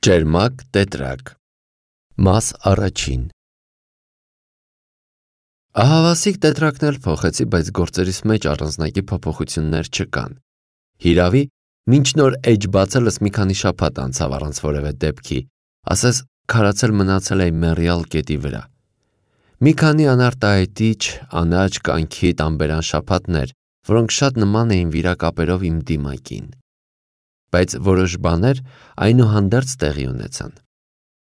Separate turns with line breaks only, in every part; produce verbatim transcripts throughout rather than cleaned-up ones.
Ճերմակ տետրակ Մաս առաջին Ահավասիկ տետրակն էլ փոխեցի, բայց գործերիս մեջ առանձնակի փոփոխություններ չկան։ Հիրավի, մինչ նոր էջ բացելս մի քանի շաբաթ անցավ առանց որևէ դեպքի, ասես քարացել մնացել էի մեռյալ կետի վրա։ Մի քանի անարտահայտիչ, անաճ կանքի տանբերան շաբաթներ, որոնք շատ նման էին վիրակապերով իմ դիմակին։ Բայց որոշ բաներ այնուհանդերձ տեղի ունեցան։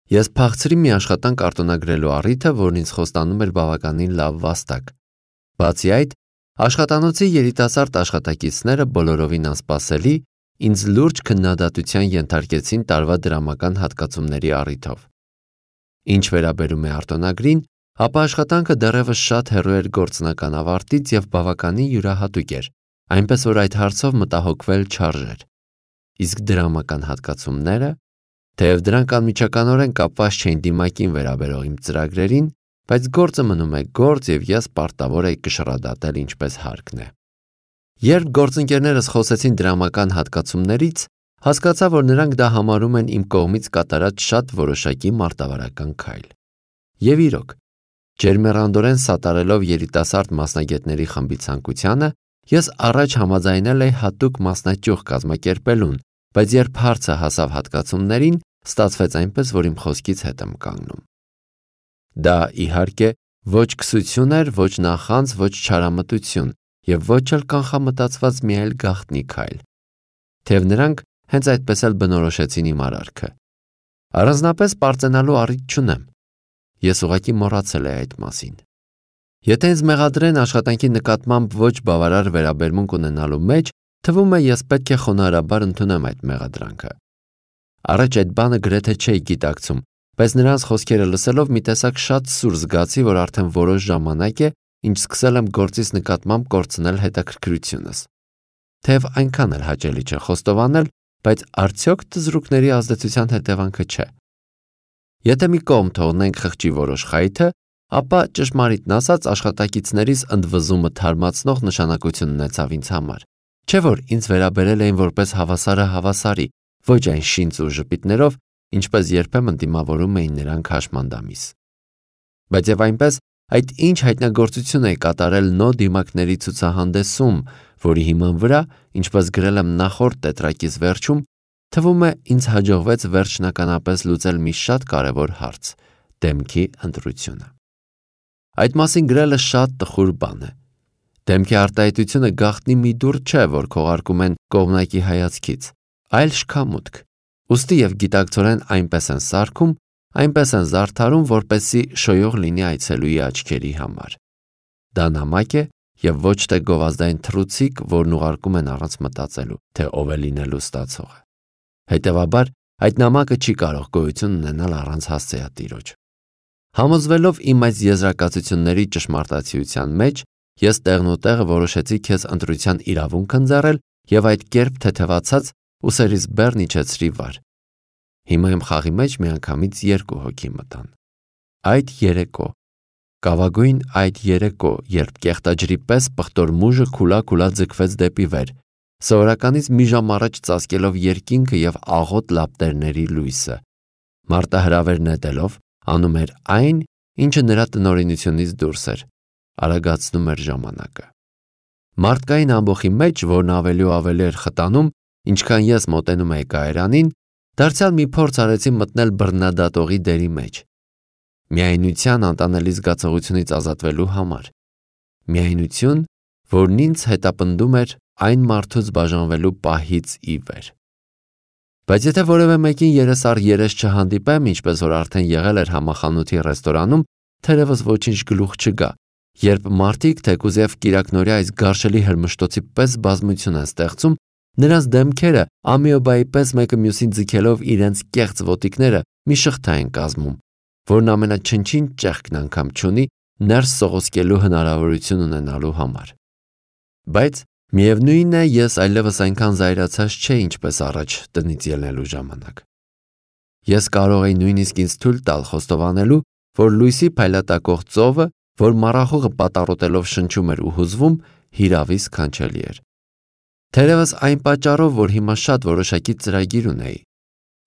Ես փախցրի մի աշխատանք արտոնագրելու առիթը, որն ինձ խոստանում էր բավականին լավ վաստակ։ Բացի այդ, աշխատանոցի երիտասարդ աշխատակիցները բոլորովին անսպասելի ինձ լուրջ քննադատության ենթարկեցին տարվա դրամական հատկացումների առիթով։ Ինչ վերաբերում է արտոնագրին, ապա աշխատանքը դեռևս շատ հեռու էր գործնական ավարտից և բավականին յուրահատուկ էր, այնպես որ այդ հարցով մտահոգվել չարժեր։ Իսկ դրամական հատկացումները, թեև դրանք անմիջականորեն կապված չէին դիմակին վերաբերող իմ ծրագրերին, բայց գործը մնում է գործ և ես պարտավոր էի կշռադատել ինչպես հարկն է։ Երբ գործընկերներս խոսեցին դրամական հատկացումներից, հասկացա, որ նրանք դա համարում են իմ կողմից կատարած շատ որոշակի մարտավարական քայլ։ Եվ իրոք, ջերմեռանդորեն սատարելով երիտասարդ մասնագետների խմբի ցանկությանը, ես առաջ համաձայնել էի հատուկ մասնաճյուղ կազմակերպելուն, բայց երբ հարցը հասավ հատկացումներին, ստացվեց այնպես, որ իմ խոսքից հետ եմ կանգնում։ Դա, իհարկե, ոչ քսություն էր, ոչ նախանձ, ոչ չարամտություն և ոչ էլ կանխամտածված մի այլ գաղտնի քայլ։ Թեև նրանք հենց այդպես էլ բնորոշեցին իմ արարքը։ Առանձնապես պարծենալու առիթ չունեմ։ Ես ուղղակի մոռացել էի այդ մասին։ Եթե ինձ մեղադրեն աշխատանքի նկատմամբ ոչ բավարար վերաբերմունք ունենալու մեջ, թվում է ես պետք է խոնարհաբար ընդունեմ այդ մեղադրանքը։ Առաջ այդ բանը գրեթե չէի գիտակցում, բայց նրանց խոսքերը լսելով մի տեսակ շատ սուր զգացի, որ արդեն որոշ ժամանակ է, ինչ սկսել եմ գործից նկատմամբ կորցնել հետաքրքրությունս։ Թեև այնքան էլ հաճելի չէ խոստովանել, բայց արդյոք թզուկների ազդեցության հետևանքը չէ։ Եթե մի կողմ թողնենք խղճի որոշ խայթը, ապա ճշմարիտն ասած աշխատակիցներիս ընդվզումը թարմացնող նշանակություն ունեցավ ինձ համար։ Չէ՞ որ ինձ վերաբերել էին որպես հավասարը հավասարի, ոչ այն շինծ ու ժպիտներով, ինչպես երբեմն դիմավորում էին նրանք հաշմանդամիս։ Բայց և այնպես, այդ ինչ հայտնագործություն էի կատարել նո դիմակների ցուցահանդեսում, որի հիման վրա, ինչպես գրել եմ նախորդ տետրակիս վերջում, թվում է ինձ հաջողվեց վերջնականապես լուծել մի շատ կարևոր հարց՝ դեմքի ընտրությունը։ Այդ մասին գրելը շատ տխուր բան է։ Դեմքի արտահայտությունը գաղտնի մի դուռ չէ, որ քողարկում են կողմնակի հայացքից, այլ շքամուտք։ Ուստի և գիտակցորեն այնպես են սարքում, այնպես են զարդարում, որպեսզի շոյող լինի այցելուի աչքերի համար։ Դա նամակ է և ոչ թե գովազդային թռուցիկ, որն ուղարկում են առանց մտածելու, թե ով է լինելու ստացողը։ Հետևաբար, այդ նամակը չի կարող գոյություն ունենալ առանց հասցեատիրոջ։ Համոզվելով իմ այս եզրակացությունների ճշմարտացիության մեջ, ես տեղնուտեղը որոշեցի քեզ ընտրության իրավունք ընձեռել և այդ կերպ թեթևացած ուսերիս բեռն իջեցրի վար։ Հիմա իմ խաղի մեջ միանգամից երկու հոգի մտան։ Այդ երեկո, կավագույն այդ երեկո, երբ կեղտաջրի պես պղտոր մուժը քուլա-քուլա ձգվեց դեպի վեր, սովորականից մի ժամ առաջ ծածկելով երկինքը և աղոտ լապտերների լույսը, մարտահրավեր նետելով, անում էր այն, ինչը նրա տնօրինությունից դուրս էր, արագացնում էր ժամանակը։ Մարդկային ամբոխի մեջ, որն ավելի ու ավելի էր խտանում, ինչքան ես մոտենում էի կայարանին, դարձյալ մի փորձ արեցի մտնել բռնադատողի դերի մեջ։ Միայնության անտանելի զգացողությունից ազատվելու համար։ Միայնություն, որն ինձ հետապնդում էր այն մարդուց բաժանվելու պահից ի վեր։ Բայց եթե որևէ մեկին երես առ երես չհանդիպեմ, ինչպես որ արդեն եղել էր համախանութի ռեստորանում, թերևս ոչինչ գլուխ չգա, երբ մարդիկ թեկուզ և կիրակնօրյա այս գարշելի հրմշտոցի պես բազմություն են ստեղծում, նրանց դեմքերը ամիոբայի պես մեկը մյուսին ձգելով իրենց կեղծ ոտիկները մի շղթա են կազմում, որն ամենաչնչին ճեղքն անգամ չունի ներս սողոսկելու հնարավորություն ունենալու համար։ Բայց միևնույն է, ես այլևս այնքան զայրացած չէի, ինչպես առաջ տնից ելնելու ժամանակ։ Ես կարող էի նույնիսկ ինձ թույլ տալ խոստովանելու, որ լույսի փայլատակող ծովը, որ մառախուղը պատառոտելով շնչում էր ու հուզվում, հիրավի սքանչելի էր։ Թերևս այն պատճառով, որ հիմա շատ որոշակի ծրագիր ունեի,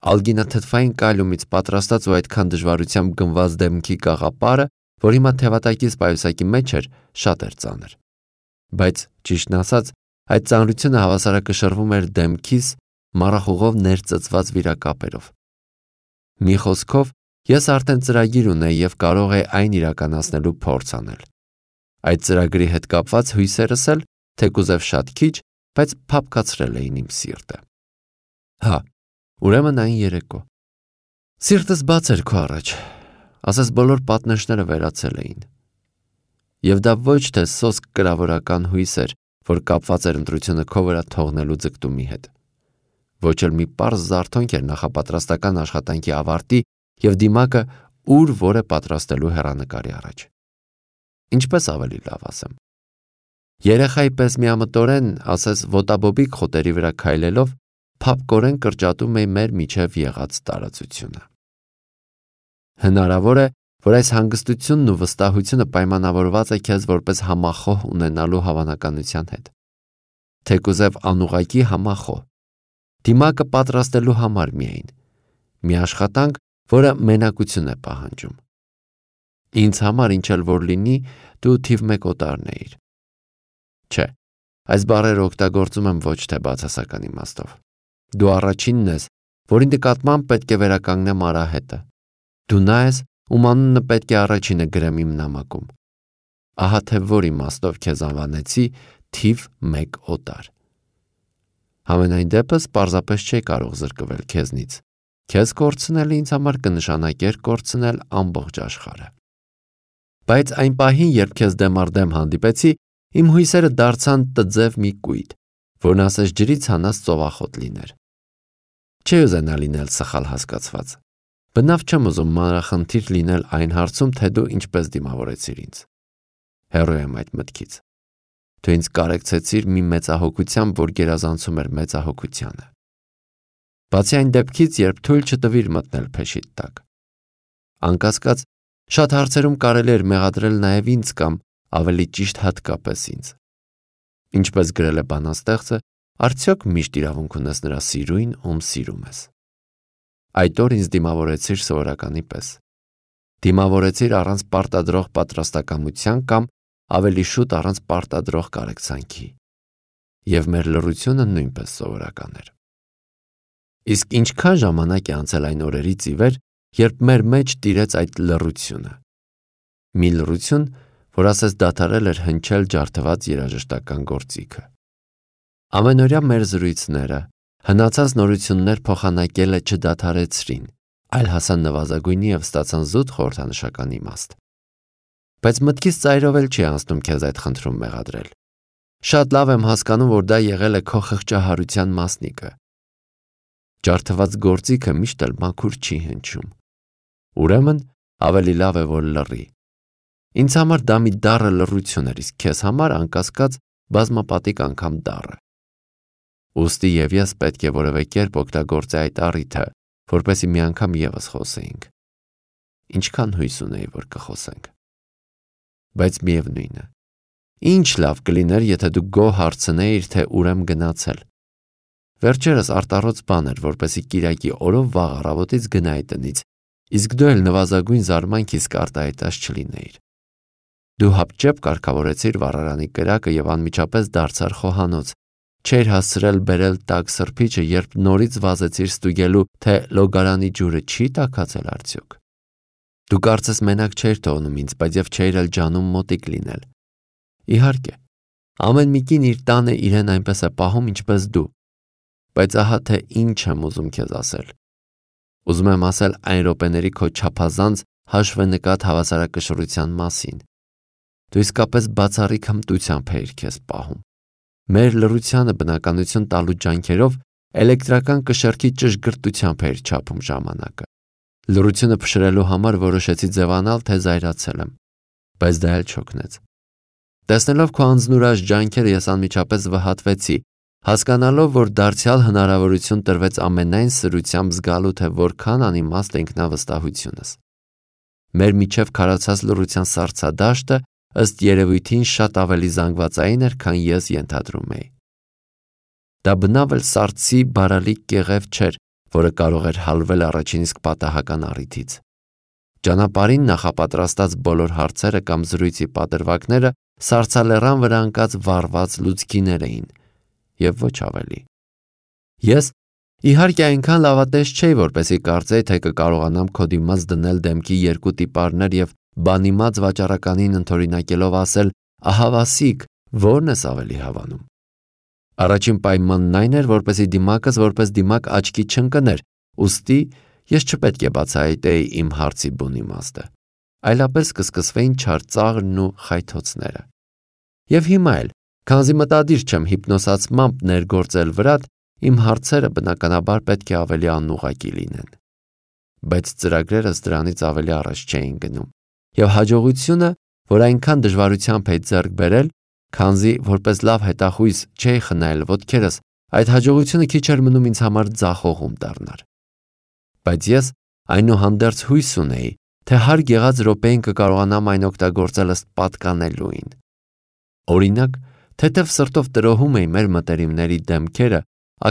ալգինաթթվային կալիումից պատրաստած ու այդքան դժվարությամբ գնված դեմքի կաղապարը, որ հիմա թևատակից պայուսակի մեջ էր, շատ էր ծանր։ Բայց, ճիշտն ասած, այդ ծանրությունը հավասարակշռվում էր դեմքիս մառախուղով ներծծված վիրակապերով։ Մի խոսքով, ես արդեն ծրագիր ունեի և կարող էի այն իրականացնելու փորձ անել։ Այդ ծրագրի հետ կապված հույսերս էլ, թեկուզև շատ քիչ, բայց փափկացրել էին իմ սիրտը։ Հա, ուրեմն այն երեկո։ Սիրտս բաց էր քո առաջ, ասես բոլոր պատնեշները վերացել էին։ Եվ դա ոչ թե սոսկ կրավորական հույս էր, որ կապված էր ընտրությունը քո վրա թողնելու ձգտումի հետ։ Ոչ էլ մի պարզ զարթոնք էր նախապատրաստական աշխատանքի ավարտի և դիմակը ուր որ է պատրաստելու հեռանկարի առաջ։ Ինչպես ավելի լավ ասեմ։ Երեխայի պես միամտորեն, ասես ոտաբոբիկ խոտերի վրա քայլելով, փափկորեն կրճատում էի մեր միջև եղած տարածությունը։ Հնարավոր է, որ այս հանգստությունն ու վստահությունը պայմանավորված է քեզ որպես համախոհ ունենալու հավանականության հետ։ Թեկուզև անուղղակի համախոհ։ Դիմակը պատրաստելու համար միայն։ Մի աշխատանք, որը մենակություն է պահանջում։ Ինձ համար ինչ էլ որ լինի, դու թիվ մեկ օտարն էիր։ Չէ, այս բառերը օգտագործում եմ ոչ թե բացասական իմաստով։ Դու առաջինն ես, որի նկատմամբ պետք է վերականգնեմ արահետը։ Դու նա ես, ում անունը պետք է առաջինը գրեմ իմ նամակում։ Ահա թե որ իմաստով քեզ անվանեցի թիվ մեկ օտար։ Համենայն դեպս պարզապես չէի կարող զրկվել քեզնից։ Քեզ կորցնելը ինձ համար կնշանակեր կորցնել ամբողջ աշխարհը։ Բայց այն պահին, երբ քեզ դեմ առ դեմ հանդիպեցի, իմ հույսերը դարձան տձև մի կույտ, որն ասես ջրից հանած ծովախոտ լիներ։ Չի ուզենա լինել սխալ հասկացված։ Բնավ չեմ ուզում մանրախնդիր լինել այն հարցում, թե դու ինչպես դիմավորեցիր ինձ։ Հեռու եմ այդ մտքից։ Դու ինձ կարեկցեցիր մի մեծահոգությամբ, որ գերազանցում էր մեծահոգությանը։ Բացի այն դեպքից, երբ թույլ չտվիր մտնել փեշիդ տակ։ Անկասկած, շատ հարցերում կարելի էր մեղադրել նաև ինձ կամ ավելի ճիշտ հատկապես ինձ։ Ինչպես գրել է բանաստեղծը, արդյոք միշտ իրավունք ունես նրա սիրույն, ում սիրում ես։ Այդ օր ինձ դիմավորեցիր սովորականի պես։ Դիմավորեցիր առանց պարտադրող պատրաստակամության կամ ավելի շուտ առանց պարտադրող կարեկցանքի։ Եվ մեր լռությունը նույնպես սովորական էր։ Իսկ ինչքան ժամանակ է անցել այն օրերից ի վեր, երբ մեր մեջ տիրեց այդ լռությունը։ Մի լռություն, որ ասես դադարել էր հնչել ջարդված երաժշտական գործիքը։ Ամենօրյա մեր զրույցները, հնացած նորություններ փոխանակելը չդադարեցրին, այլ հասան նվազագույնի և ստացան զուտ խորհրդանշական իմաստ։ Բայց մտքից ծայրով էլ չի անցնում քեզ այդ խնդրում մեղադրել։ Շատ լավ եմ հասկանում, որ դա եղել է քո խղճահարության մասնիկը։ Ջարդված գործիքը միշտ էլ մաքուր չի հնչում։ Ուրեմն ավելի լավ է, որ լռի։ Ինձ համար դա մի դառը լռություն էր, իսկ քեզ համար անկասկած բազմապատիկ անգամ դառը։ Ուստի և ես պետք է որևէ կերպ օգտագործեի այդ առիթը, որպեսզի մի անգամ ևս խոսեինք։ Ինչքան հույս ունեի, որ կխոսենք։ Բայց միևնույն է։ Ինչ լավ կլիներ, եթե դու գոհ հարցնեիր, թե ուր եմ գնացել։ Վերջերս արտառոց բան էր, որպեսզի կիրակի օրով վաղ առավոտից գնայի տնից, իսկ դու էլ նվազագույն զարմանքից կարտահայտած չլինեիր։ Դու հապճեպ կարգավորեցիր վառարանի կրակը և անմիջապես դարձար խոհանոց, չէր հասցրել բերել տաք սրբիչը, երբ նորից վազեցիր ստուգելու, թե լոգարանի ջուրը չի տաքացել արդյոք։ Դու կարծես մենակ չէիր թողնում ինձ, բայց և չէիր էլ ջանում մոտիկ լինել։ Իհարկե, ամեն մի կին իր տանը իրեն այնպես է պահում, ինչպես դու։ Բայց ահա թե ինչ եմ ուզում քեզ ասել։ Ուզում եմ ասել այն րոպեների քո չափազանց հաշվենկատ հավասարակշռության մասին։ Դու իսկապես բացառիկ հմտությամբ էիր քեզ պահում։ Մեր լռությանը բնականություն տալու ջանքերով էլեկտրական կշեռքի ճշգրտությամբ էիր չափում ժամանակը։ Լռությունը փշրելու համար որոշեցի ձևանալ, թե զայրացել եմ, բայց դա էլ չօգնեց։ Տեսնելով քո անձնուրաշ ջանքերը ես անմիջապես վհատվեցի, հասկանալով, որ դարձյալ հնարավորություն տրվեց ամենայն սրությամբ զգալու, թե որքան անիմաստ է ինքնավստահությունս։ Մեր միջև քարացած լռության սառցադաշտը ըստ երևույթին շատ ավելի զանգվածային էր, քան ես ենթադրում էի։ Դա բնավ էլ սառցի բարալիկ կեղև չէր, որը կարող էր հալվել առաջին իսկ պատահական առիթից։ Ճանապարհին նախապատրաստած բոլոր հարցերը կամ զրույցի պատրվակները սառցալեռան վրա ընկած վառված լուցկիներ էին եւ ոչ ավելի։ Ես իհարկե այնքան լավատես չէի, որպեսզի կարծեի, թե կկարողանամ քո դիմաց դնել դեմքի երկու տիպարներ եւ բանիմաց վաճառականին ընդօրինակելով ասել. «Ահա Վասիկ, ո՞րն ես ավելի հավանում»։ Առաջին պայմանն այն էր, որպեսզի դիմակս որպես դիմակ աչքի չընկներ, ուստի ես չպետք է բացահայտեի իմ հարցի բուն իմաստը, այլապես կսկսվեին չար ծաղրն ու խայթոցները։ Եվ հիմա էլ, քանզի մտադիր չեմ հիպնոսացմամբ ներգործել վրատ, իմ հարցերը բնականաբար պետք է ավելի անուղղակի լինեն։ Բայց ծրագրերս դրանից ավելի առաջ չէին գնում, եւ հաջողությունը, որ այնքան դժվարությամբ էի ձեռք բերել, քանզի որպես լավ հետախույզ չէի խնայել ոտքերս, այդ հաջողությունը քիչ էր մնում ինձ համար ձախողում դառնար։ Բայց ես այնուհանդերձ հույս ունեի, թե հարկ եղած րոպեին կկարողանամ այն օգտագործել ըստ պատկանելուին։ Օրինակ, թեթև սրտով տրոհում էի մեր մտերիմների դեմքերը,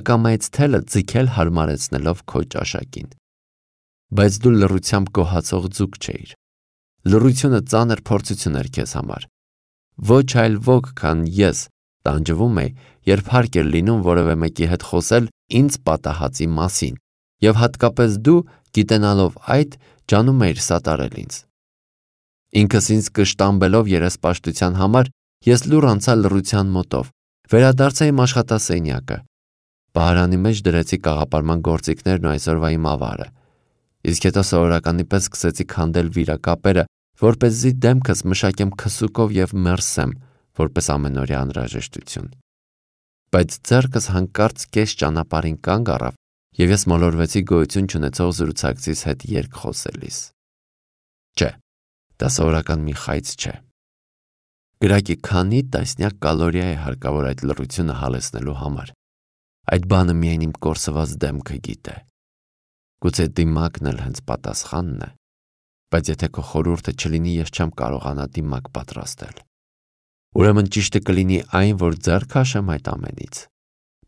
ակամայից թելը ձգել հարմարեցնելով քո ճաշակին։ Բայց դու լռությամբ գոհացող ձուկ չէիր։ Լռությունը ծանր փորձություն էր քեզ համար։ Ոչ այլ ոք, քան ես, տանջվում էի, երբ հարկ էր լինում որևէ մեկի հետ խոսել ինձ պատահածի մասին, եւ հատկապես դու, գիտենալով այդ, ջանում էիր սատարել ինձ։ Ինքս ինձ կշտամբելով երեսպաշտության համար, ես լուռ անցա լռության մոտով, վերադարձա իմ աշխատասենյակը։ Պահարանի մեջ դրեցի կաղապարման գործիքներն ու այսօրվա իմ ավարը։ Իսկ հետո սովորականի պես սկսեցի քանդել վիրակապերը, որպեսզի դեմքս մշակեմ քսուկով եւ մերսեմ, որպես ամենօրյա անհրաժեշտություն։ Բայց ձեռքս հանկարծ կես ճանապարհին կանգ առավ, եւ ես մոլորվեցի գոյություն չունեցող զրուցակցիս հետ երկխոսելիս։ Չէ, դա սովորական մի խայծ չէ։ Գրակի քանի տասնյակ կալորիա է հարկավոր այդ լռությունը հալեցնելու համար։ Այդ բանը միայն իմ կորսված դեմքը գիտե։ Գուցե դիմակն էլ հենց պատասխանն է, բայց եթե քո խորհուրդը չլինի, ես չեմ կարողանա դիմակ պատրաստել։ Ուրեմն ճիշտը կլինի այն, որ ձեռք քաշեմ այդ ամենից։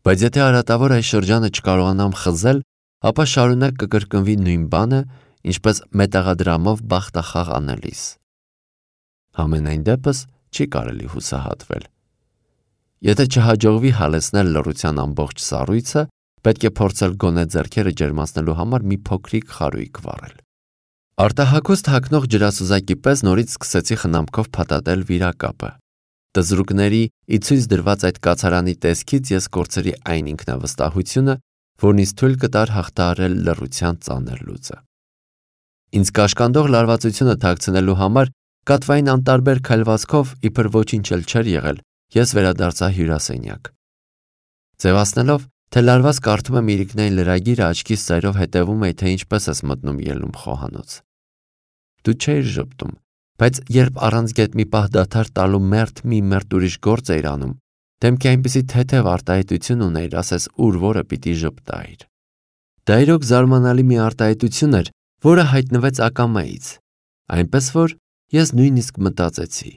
Բայց եթե արատավոր այս շրջանը չկարողանամ խզել, ապա շարունակ կկրկնվի նույն բանը, ինչպես մետաղադրամով բախտախաղ անելիս։ Համենայն դեպս չի կարելի հուսահատվել։ Եթե չհաջողվի հալեցնել լռության ամբողջ սառույցը, պետք է փորձել գոնե ձեռքերը ջերմացնելու համար մի փոքրիկ խարույկ վառել։ Արտահակոստ հագնող ջրասուզակի պես նորից սկսեցի խնամքով փաթաթել վիրակապը։ Տզրուկների ի ցույց դրված այդ կացարանի տեսքից ես կորցրի այն ինքնավստահությունը, որն ինձ թույլ կտար հաղթահարել լռության ծանր լուծը։ Ինձ կաշկանդող լարվածությունը թաքցնելու համար կատվային անտարբեր քայլվածքով իբր ոչինչ էլ չէր եղել, ես վերադարձա հյուրասենյակ։ Ձևացնելով, թե լարված կարդում եմ իրիկնային լրագիրը, աչքիս ծայրով հետևում էի, թե ինչպես ես մտնում ելնում խոհանոց։ Դու չէիր ժպտում, բայց երբ առանց գետ մի պահ դադար տալու մերթ մի մերթ ուրիշ գործ էիր անում, դեմքի այնպիսի թեթև արտահայտություն ունեիր, ասես ուր որը պիտի ժպտայիր։ Դա իրոք զարմանալի մի արտահայտություն էր, որը հայտնվեց ակամայից, այնպես որ ես նույնիսկ մտածեցի.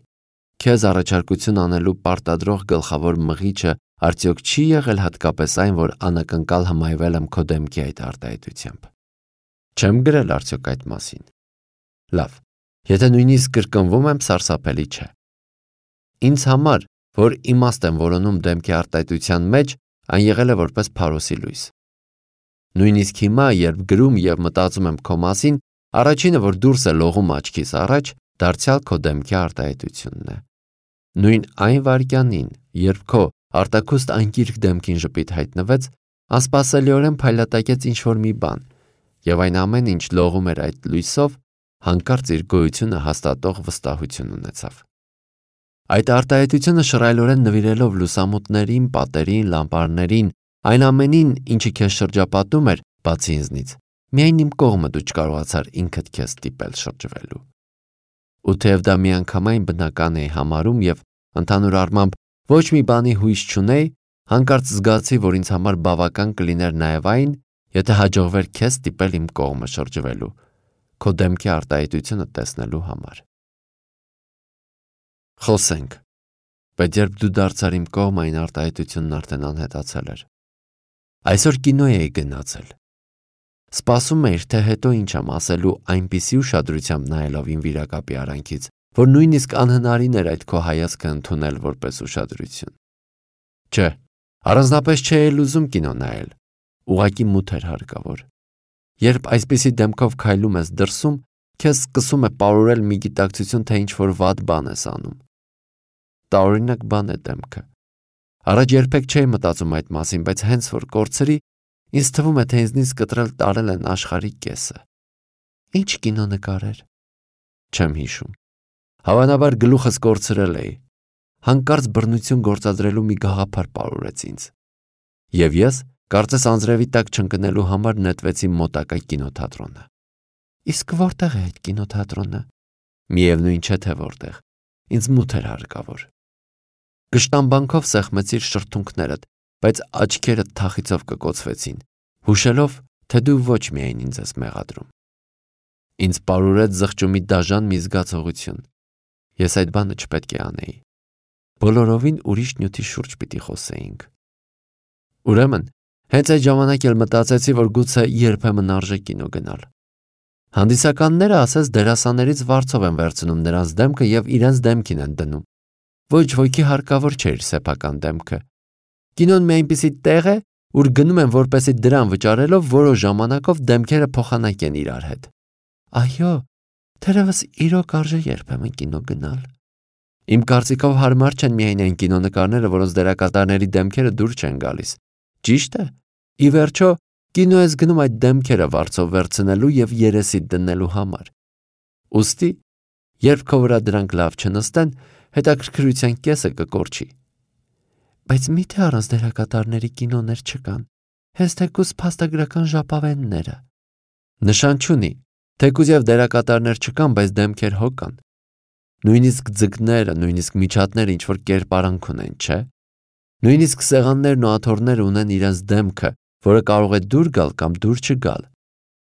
քեզ առաջարկություն անելու պարտադրող գլխավոր մղիչը արդյոք չի եղել հատկապես այն, որ անակնկալ հմայվել եմ քո դեմքի այդ արտահայտությամբ։ Չեմ գրել արդյոք այդ մասին։ Լավ, եթե նույնիսկ կրկնվում եմ, սարսափելի չէ։ Ինձ համար, որ իմաստ եմ որոնում դեմքի արտահայտության մեջ, այն եղել է որպես փարոսի լույս։ Նույնիսկ հիմա, երբ գրում եւ մտածում եմ քո մասին, առաջինը, որ դուրս է լողում աչքիս առաջ, դարձյալ քո դեմքի արտահայտությունն է։ Նույն այն վայրկյանին, երբ քո արտաքուստ անկիրք դեմքին ժպիտ հայտնվեց, անսպասելիորեն փայլատակեց ինչ-որ մի բան, եւ այն ամեն ինչ լողում էր այդ լույսով, հանկարծ իր գոյությունը հաստատող վստահություն ունեցավ։ Այդ արտահայտությունը շռայլորեն նվիրելով լուսամուտներին, պատերին, լամպարներին, այն ամենին, ինչը քեզ շրջապատում էր, բացի ինձնից, միայն իմ կողմը դու չկարողացար ինքդ քեզ ստիպել շրջվելու։ Ու թեև դա միանգամայն բնական էի համարում եւ ընդհանուր առմամբ ոչ մի բանի հույս չունեի, հանկարծ զգացի, որ ինձ համար բավական կլիներ նաեւ այն, եթե հաջողվեր քեզ ստիպել իմ կողմը շրջվելու, քո դեմքի արտահայտությունը տեսնելու համար։ Խոսենք, բայց երբ դու դարձար իմ կողմը, այն արտահայտությունն արդեն անհետացել էր։ Այսօր կինո էի գնացել։ Սպասում էիր, թե հետո ինչ եմ ասելու այնպիսի ուշադրությամբ նայելով իմ վիրակապի արանքից, որ նույնիսկ անհնարին էր այդ քո հայացքը ընդունել որպես ուշադրություն։ Չէ, առանձնապես չէի ուզում կինո նայել, ուղղակի մութ էր հարկավոր։ Երբ այսպիսի դեմքով քայլում ես դրսում, քեզ սկսում է պարուրել մի գիտակցություն, թե ինչ-որ վատ բան ես անում։ Տարօրինակ բան է դեմքը։ Առաջ երբեք չէի մտածում այդ մասին, բայց հենց որ կորցրի, ինձ թվում է, թե ինձնից կտրել տարել են աշխարհի կեսը։ Ինչ կինո նկարեր։ Չեմ հիշում։ Հավանաբար գլուխս կորցրել էի։ Հանկարծ բռնություն գործադրելու մի գաղափար պարուրեց ինձ։ Եվ ես, կարծես անձրևի տակ չընկնելու համար նետվեցի մոտակա կինոթատրոնը։ Իսկ որտեղ է այդ կինոթատրոնը։ Միևնույն չէ թե որտեղ։ Ինձ մութ էր հարկավոր։ Կշտամբանքով սեղմեցիր շրթունքներդ, բայց աչքերդ թախիցով կկոցվեցին, հուշելով, թե դու ոչ միայն ինձ ես մեղադրում։ Ինձ պարուրեց զղջումի դաժան մի զգացողություն։ Ես այդ բանը չպետք է անեի։ Բոլորովին ուրիշ նյութի շուրջ պիտի խոսեինք։ Ուրեմն, հենց այդ ժամանակ էլ մտածեցի, որ գուցե երբեմն արժե կինո գնալ։ Հանդիսականները ասես դերասաններից վարձով են վերցնում նրանց դեմքը եւ իրենց դեմքին են դնում։ Ոչ ոքի հարկավոր չէր սեփական դեմքը։ Կինոն մի այնպիսի տեղ է, ուր գնում են որպեսի դրան վճարելով որոշ ժամանակով դեմքերը փոխանակեն իրար հետ։ Այո, թերևս իրոք արժե երբեմն կինո գնալ։ Իմ կարծիքով հարմար չեն միայն այն կինոնկարները, որոնց դերակատարների դեմքերը դուր չեն գալիս։ Ճիշտ է։ Ի վերջո, կինո ես գնում այդ դեմքերը վարձով վերցնելու եւ երեսիդ դնելու համար։ Ուստի, երբ քո վրա դրանք լավ չնստեն, հետաքրքրության կեսը կկորչի։ Բայց միթե առանց դերակատարների կինոներ չկան, հենց թեկուզ փաստագրական ժապավենները։ Նշան չունի, թեկուզ եւ դերակատարներ չկան, բայց դեմքեր հո կան։ Նույնիսկ ձկները, նույնիսկ միջատները ինչ-որ կերպարանք ունեն, չէ։ Նույնիսկ սեղաններն ու աթոռները ունեն իրենց դեմքը, որը կարող է դուր գալ կամ դուր չգալ։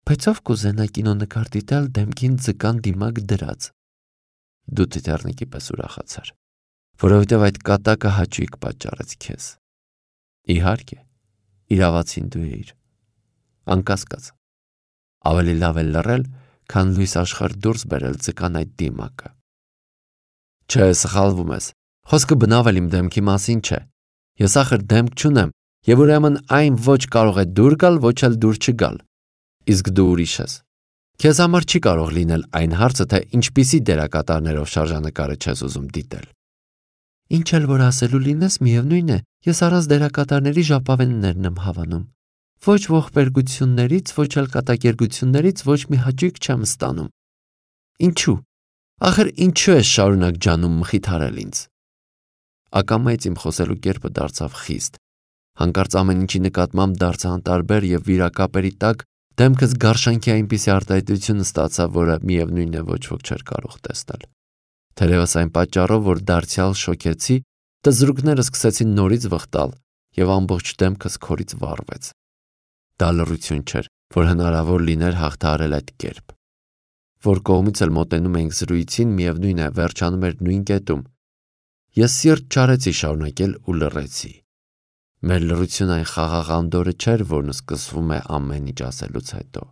Բայց ով կուզենա կինոնկար դիտել դեմքին ձկան դիմակ դրած։ Դու տիտեռնիկի պես ուրախացար, որովհետև այդ կատակը հաճույք պատճառեց քեզ։ Իհարկե, իրավացին դու էիր։ Անկասկած։ Ավելի լավ է լռել, քան լույս աշխարհ դուրս բերել ձկան այդ դիմակը։ Չէ, սխալվում ես։ Խոսքը բնավել իմ դեմքի մասին չէ։ Ես ախր դեմք չունեմ, եւ ուրեմն այն ոչ կարող է դուր գալ, ոչ էլ դուր չգալ։ Իսկ դու ուրիշ ես։ Քեզ համար չի կարող լինել այն հարցը, թե ինչպիսի դերակատարներով շարժանկարը չես ուզում դիտել։ Ինչ էլ որ ասելու լինես, միևնույն է, ես առանց դերակատարների ժապավեններն եմ հավանում։ Ոչ ողբերգություններից, ոչ էլ կատակերգություններից ոչ մի հաճույք չեմ ստանում։ Ինչու։ Ախր ինչու ես շարունակ ջանում մխիթարել ինձ։ Ակամայից իմ խոսելու կերպը դարձավ խիստ։ Հանկարծ ամեն ինչի նկատմամբ դարձա անտարբեր եւ վիրակապերի տակ դեմքս գարշանքի այնպիսի արտահայտություն ստացավ, որը միևնույն է ոչ ոք չէր կարող տեսնել։ Թերևս այն պատճառով, որ դարձյալ շոկեցի, տզրուկները սկսեցին նորից վխտալ եւ ամբողջ դեմքս քորից վառվեց։ Դա լռություն չէր, որ հնարավոր լիներ հաղթահարել այդ կերպ։ Որ կողմից էլ մոտենում էինք զրույցին, միևնույն է, վերջանում էր նույն կետում։ Ես սիրտ չարեցի շարունակել ու լռեցի։ Մեր լռությունը այն խաղաղ անդորը չէր, որն սկսվում է ամեն ինչ ասելուց հետո։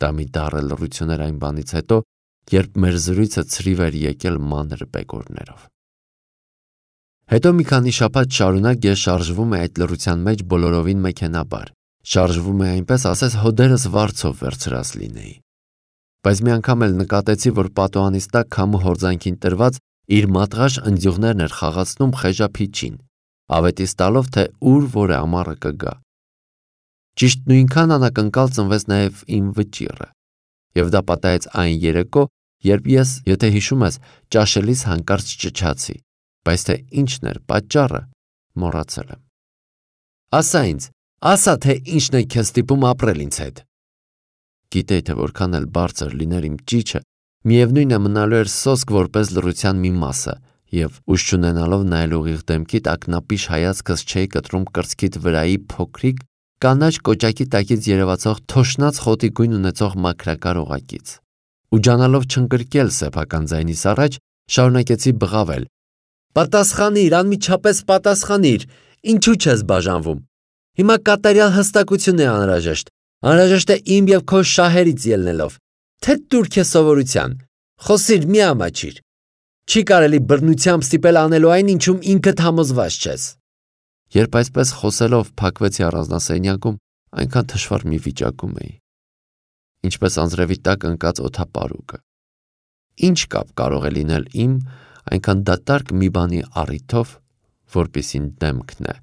Դա մի դառը լռություն էր այն բանից հետո, երբ մեր զրույցը ցրիվ էր եկել մանր բեկորներով։ Հետո մի քանի շաբաթ շարունակ ես շարժվում էի այդ լռության մեջ բոլորովին մեքենաբար։ Շարժվում էի այնպես, ասես հոդերս վարձով վերցրած լինեի։ Բայց մի անգամ էլ նկատեցի, որ պատուհանից տակ քամու հորձանքին տրված իր մատղաշ ընձյուղներն էր խաղացնում խեժափիճին, ավետիս տալով, թե ուր որ է ամառը կգա։ Ճիշտ նույնքան անակնկալ ծնվեց նաև իմ վճիռը, եւ դա պատահեց այն երեկո, երբ ես, եթե հիշում ես, ճաշելիս հանկարծ ճչացի, բայց թե ինչն էր պատճառը, մոռացել եմ։ Ասա ինձ, ասա, թե ինչն է քեզ ստիպում ապրել ինձ հետ։ Գիտեի, թե որքան էլ բարձր լիներ իմ ճիչը, միևնույն է մնալու էր սոսկ որպես լռության մի մասը, եւ ուժ չունենալով նայել ուղիղ դեմքիդ ակնապիշ հայացքս չէի կտրում կրծքիդ վրայի փոքրիկ կանաչ կոճակի տակից երևացող թոշնած խոտի գույն ունեցող մաքրակար օղակից։ Ու ջանալով չընկրկել սեփական ձայնիս առաջ, շարունակեցի բղավել. Պատասխանիր, անմիջապես պատասխանիր, ինչու չես բաժանվում։ Հիմա կատարյալ հստակություն է անհրաժեշտ։ Անհրաժեշտ է իմ եւ քո շահերից ելնելով, թե դուր քեզ սովորության, խոսիր մի ամաչիր, չի կարելի բռնությամբ ստիպել անելու այն, ինչում ինքդ համոզված չես։ Երբ այսպես խոսելով փակվեցի առանձնասենյակում, այնքան թշվառ մի վիճակում էի, ինչպես անձրևի տակ ընկած օդապարուկը։ Ինչ կապ կարող է լինել իմ այնքան դատարկ մի բանի առիթով, որպիսին դեմքն է,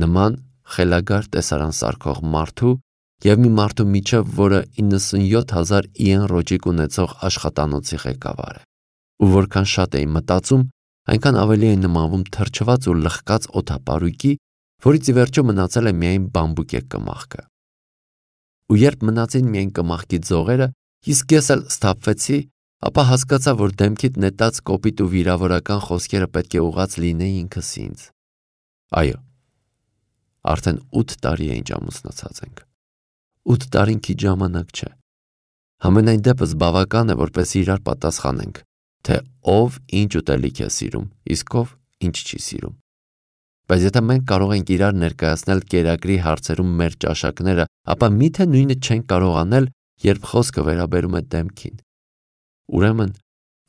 նման խելագար տեսարան սարքող մարդու և մի մարդու միջև, որը իննսունյոթ հազար իեն ռոճիկ ունեցող աշխատանոցի ղեկավար է, ու որքան շատ էի մտածում, այնքան ավելի էի նմանվում թրջված ու լխկած օդապարույկի, որից ի վերջո մնացել է միայն բամբուկե կմախքը։ Ու երբ մնացին միայն կմախքի ձողերը, իսկ ես էլ սթափվեցի, ապա հասկացա, որ դեմքիդ նետած կոպիտ ու վիրավորական խոսքերը պետք է ուղղած լինեին ինքս ինձ։ Այո, արդեն ութ տարի է ինչ ամուսնացած ենք։ Ութ տարին քիչ ժամանակ չէ։ Համենայն դեպս բավական է, որպես իրար պատասխանենք, թե ով ինչ ուտելիք է սիրում, իսկ ով ինչ չի սիրում։ Բայց եթե մենք կարող ենք իրար ներկայացնել կերակրի հարցերում մեր ճաշակները, ապա միթե նույնը չենք կարող անել, երբ խոսքը վերաբերում է դեմքին։ Ուրեմն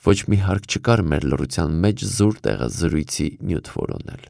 ոչ մի հարկ չկար մեր լռության մեջ զուր տեղը զրույցի նյութ որոնել։